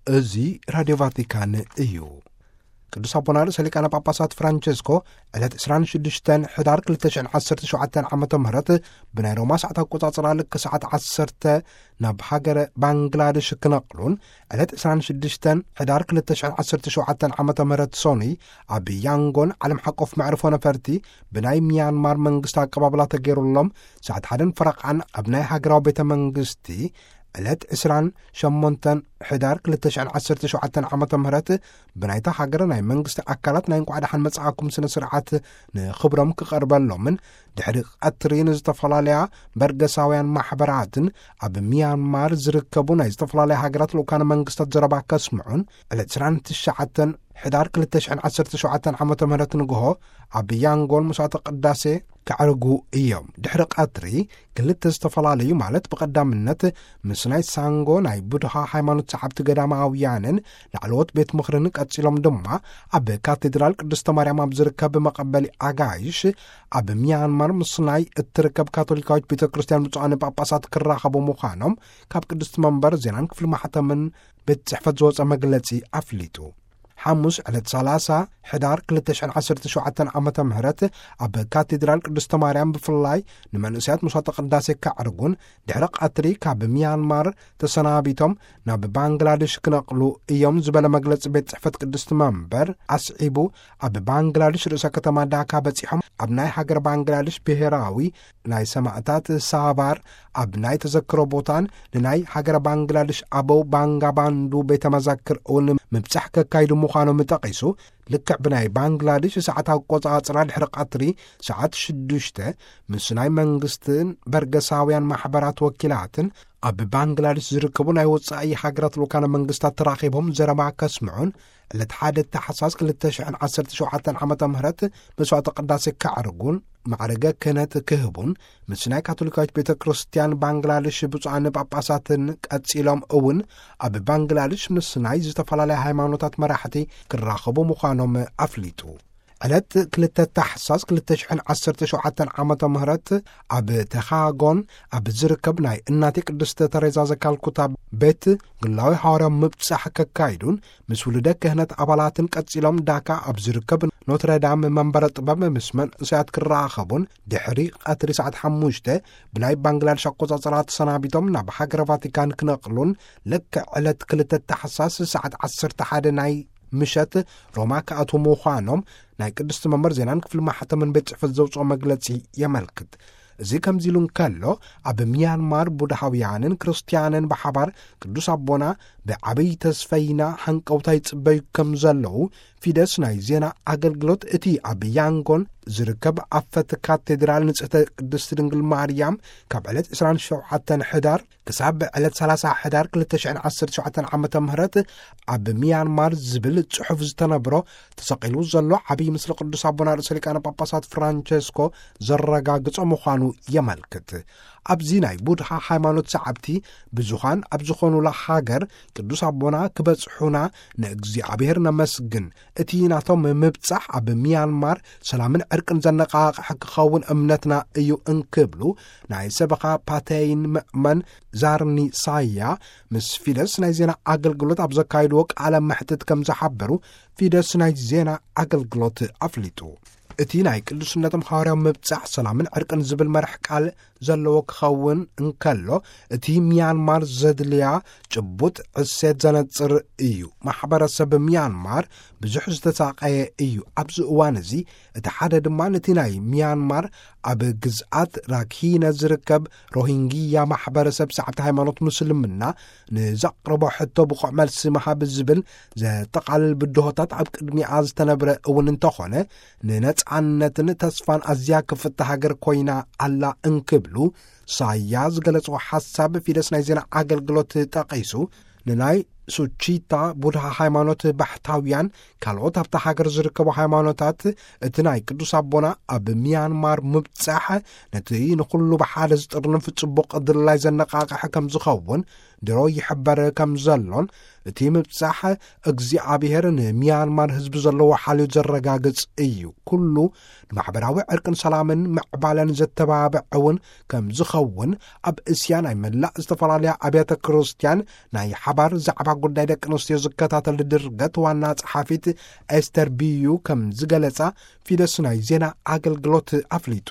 እዚ ራድዮ ቫቲካን እዩ። ቅዱስ ኣቦና ርእሰ ሊቃነ ጳጳሳት ፍራንቸስኮ ዕለት ዕስራን ሽዱሽተን ሕዳር ክልተ ሽሕን ዓሰርተ ሸውዓተን ዓመተ ምህረት ብናይ ሮማ ሰዓት ኣቆጻጽራ ልክ ሰዓት ዓሰርተ ናብ ሃገረ ባንግላደሽ ክነቕሉን ዕለት ዕስራን ሽዱሽተን ሕዳር ክልተ ሽሕን ዓሰርተ ሸውዓተን ዓመተ ምህረት ሶኑይ ኣብ ያንጎን ዓለም ሓቆፍ መዕርፎ ነፈርቲ ብናይ ሚያንማር መንግስቲ ኣቀባብላ ተገይሩሎም ሰዓት ሓደን ፈረቓን ኣብ ናይ ሃገራዊ ቤተ መንግስቲ ዕለት ዕስራን ሸሞንተን ሕዳር ክልተ ሽሕን ዓሰርተ ሸውዓተን ዓመተ ምህረት ብናይታ ሃገር ናይ መንግስቲ ኣካላት ናይ እንቋዕ ደሓን መጻእኩም ስነ ስርዓት ንኽብሮም ክቐርበሎምን ድሕሪ ቀትሪ ንዝተፈላለያ በርገሳውያን ማሕበራትን ኣብ ሚያንማር ዝርከቡ ናይ ዝተፈላለያ ሃገራት ልኡካነ መንግስታት ዘረባ ከስምዑን ዕለት ዕስራን ትሽዓተን ሕዳር ክልተ ሽሕን ዓሰርተ ሸውዓተን ዓመተ ምህረት ንግሆ ኣብ ያንጎን መስዋዕተ ቅዳሴ ከዕርጉ እዮም። ድሕሪ ቀትሪ ክልተ ዝተፈላለዩ ማለት ብቐዳምነት ምስ ናይ ሳንጎ ናይ ቡድሃ ሃይማኖት ሰዓብቲ ገዳማውያንን ላዕለዎት ቤት ምኽርን ቀጺሎም ድማ ኣብ ካቴድራል ቅድስተ ማርያም ኣብ ዝርከብ መቐበሊ ኣጋይሽ ኣብ ሚያንማር ምስ ናይ እትርከብ ካቶሊካዊት ቤተ ክርስቲያን ብፁዓን ጳጳሳት ክራኸቡ ምዃኖም ካብ ቅድስቲ መንበር ዜናን ክፍሊ ማሕተምን ቤት ጽሕፈት ዝወጸ መግለጺ ኣፍሊጡ። ሓሙስ ዕለት ሰላሳ ሕዳር ክልተ ሽሕን ዓሰርተ ሸውዓተን ዓመተ ምህረት ኣብ ካቴድራል ቅድስተ ማርያም ብፍላይ ንመንእሰያት መስዋዕተ ቅዳሴ ከዕርጉን ድሕሪ ቀትሪ ካብ ሚያንማር ተሰናቢቶም ናብ ባንግላደሽ ክነቕሉ እዮም ዝበለ መግለጺ ቤት ጽሕፈት ቅድስቲ መንበር ኣስዒቡ፣ ኣብ ባንግላደሽ ርእሰ ከተማ ዳካ በጺሖም ኣብ ናይ ሃገር ባንግላደሽ ብሔራዊ ናይ ሰማእታት ሳባር ኣብ ናይ ተዘክሮ ቦታን ንናይ ሃገረ ባንግላደሽ ኣበው ባንጋባንዱ ቤተ መዘክር እውን ምብጻሕ ከካይዱ ምዃኖም ጠቒሱ፣ ልክዕ ብናይ ባንግላደሽ ሰዓት ኣቆጻጽራ ድሕሪ ቀትሪ ሰዓት ሽዱሽተ ምስ ናይ መንግስትን በርገሳውያን ማሕበራት ወኪላትን ኣብ ባንግላደሽ ዝርከቡ ናይ ወጻኢ ሃገራት ልኡካነ መንግስታት ተራኺቦም ዘረባ ከስምዑን ዕለት ሓደ ታሕሳስ ክልተ ሽሕን ዓሰርተ ሸውዓተን ዓመተ ምህረት መስዋዕተ ቅዳሴ ከዕርጉን ማዕረገ ክህነት ክህቡን ምስ ናይ ካቶሊካዊት ቤተ ክርስቲያን ባንግላደሽ ብፁዓን ጳጳሳትን ቀጺሎም እውን ኣብ ባንግላደሽ ምስ ናይ ዝተፈላለያ ሃይማኖታት መራሕቲ ክራኸቡ ምዃኖም ኣፍሊጡ። ዕለት ክልተ ታሕሳስ ክልተ ሽሕን ዓሰርተ ሸውዓተን ዓመተ ምህረት ኣብ ተኻጎን ኣብ ዝርከብ ናይ እናቴ ቅድስተ ተሬዛ ዘካልኩታ ቤት ግላዊ ሃዋርያዊ ምብጻሕ ከካይዱን ምስ ውሉደ ክህነት ኣባላትን ቀጺሎም ዳካ ኣብ ዝርከብ ኖትረዳም መንበረ ጥበብ ምስ መንእሰያት ክራኸቡን ድሕሪ ቀትሪ ሰዓት ሓሙሽተ ብናይ ባንግላደሽ ኣቆጻጽራ ተሰናቢቶም ናብ ሃገረ ቫቲካን ክነቕሉን ልክዕ ዕለት ክልተ ታሕሳስ ሰዓት ዓሰርተ ሓደ ናይ ምሸት ሮማ ክኣትዉ ምዃኖም ናይ ቅድስቲ መንበር ዜናን ክፍሊ ማሕተምን ቤት ጽሕፈት ዘውጽኦ መግለጺ የመልክት። እዚ ከምዚ ኢሉ እንከሎ፣ ኣብ ሚያንማር ቡድሃውያንን ክርስትያንን ብሓባር ቅዱስ ኣቦና ብዓብይ ተስፈይና ሃንቀውታ ይጽበዩ ከም ዘለዉ ፊደስ ናይ ዜና ኣገልግሎት እቲ ኣብ ያንጎን ዝርከብ ኣፈት ካቴድራል ንጽሕተ ቅድስቲ ድንግል ማርያም ካብ ዕለት ዕስራን ሸውዓተን ሕዳር ክሳብ ዕለት ሰላሳ ሕዳር ክልተ ሽሕን ዓሰርተ ሸውዓተን ዓመተ ምህረት ኣብ ሚያንማር ዝብል ጽሑፍ ዝተነብሮ ተሰቒሉ ዘሎ ዓብዪ ምስሊ ቅዱስ ኣቦና ርእሰ ሊቃነ ጳጳሳት ፍራንቸስኮ ዘረጋግጾ ምዃኑ የመልክት። ኣብዚ ናይ ቡድሃ ሃይማኖት ሰዓብቲ ብዙኻን ኣብ ዝኾኑላ ሃገር ቅዱስ ኣቦና ክበጽሑና ንእግዚኣብሔር ነመስግን። እቲ ናቶም ምብጻሕ ኣብ ሚያንማር ሰላምን ዕርቅን ዘነቓቕሕ ክኸውን እምነትና እዩ እንክብሉ ናይ ሰበኻ ፓተይን ምእመን ዛርኒ ሳያ ምስ ፊደስ ናይ ዜና ኣገልግሎት ኣብ ዘካየድዎ ቃለ መሕትት ከም ዝሓበሩ ፊደስ ናይ ዜና ኣገልግሎት ኣፍሊጡ። እቲ ናይ ቅዱስነቶም ሃዋርያዊ ምብጻሕ ሰላምን ዕርቅን ዝብል መራሕ ቃል ዘለዎ ክኸውን እንከሎ፣ እቲ ሚያንማር ዘድልያ ጭቡጥ ዕሴት ዘነጽር እዩ። ማሕበረሰብ ሚያንማር ብዙሕ ዝተሳቐየ እዩ። ኣብዚ እዋን እዚ እቲ ሓደ ድማ ነቲ ናይ ሚያንማር ኣብ ግዝኣት ራኪነ ዝርከብ ሮሂንግያ ማሕበረሰብ ሰዓብቲ ሃይማኖት ሙስልምና ንዘቕርቦ ሕቶ ብቑዕ መልሲ ምሃብ ዝብል ዘጠቓልል ብድሆታት ኣብ ቅድሚኣ ዝተነብረ እውን እንተኾነ፣ ንነጻነትን ተስፋን ኣዝያ ክፍቲ ሃገር ኮይና ኣላ እንክብሉ ሳያ ዝገለጽዎ ሓሳብ ፊደስ ናይ ዜና ኣገልግሎት ጠቒሱ፣ ንናይ ሱቺታ ቡድሃ ሃይማኖት ባሕታውያን ካልኦት ኣብታ ሃገር ዝርከቡ ሃይማኖታት እቲ ናይ ቅዱስ ኣቦና ኣብ ሚያንማር ምብጻሕ ነቲ ንኹሉ ብሓደ ዝጥርንፍ ጽቡቕ ድላይ ዘነቓቕሐ ከም ዝኸውን ድሮ ይሕበር ከም ዘሎን፣ እቲ ምብጻሕ እግዚኣብሔር ንሚያንማር ህዝቢ ዘለዎ ሓልዮት ዘረጋግጽ እዩ። ኩሉ ንማሕበራዊ ዕርቅን ሰላምን ምዕባለን ዘተባብዕ እውን ከም ዝኸውን፣ ኣብ እስያ ናይ መላእ ዝተፈላለያ ኣብያተ ክርስቲያን ናይ ሓባር ዛዕባ ጉዳይ ደቂ ኣንስትዮ ዝከታተል ድርገት ዋና ጸሓፊት ኤስተር ቢዩ ከም ዝገለጻ ፊደስ ናይ ዜና ኣገልግሎት ኣፍሊጡ።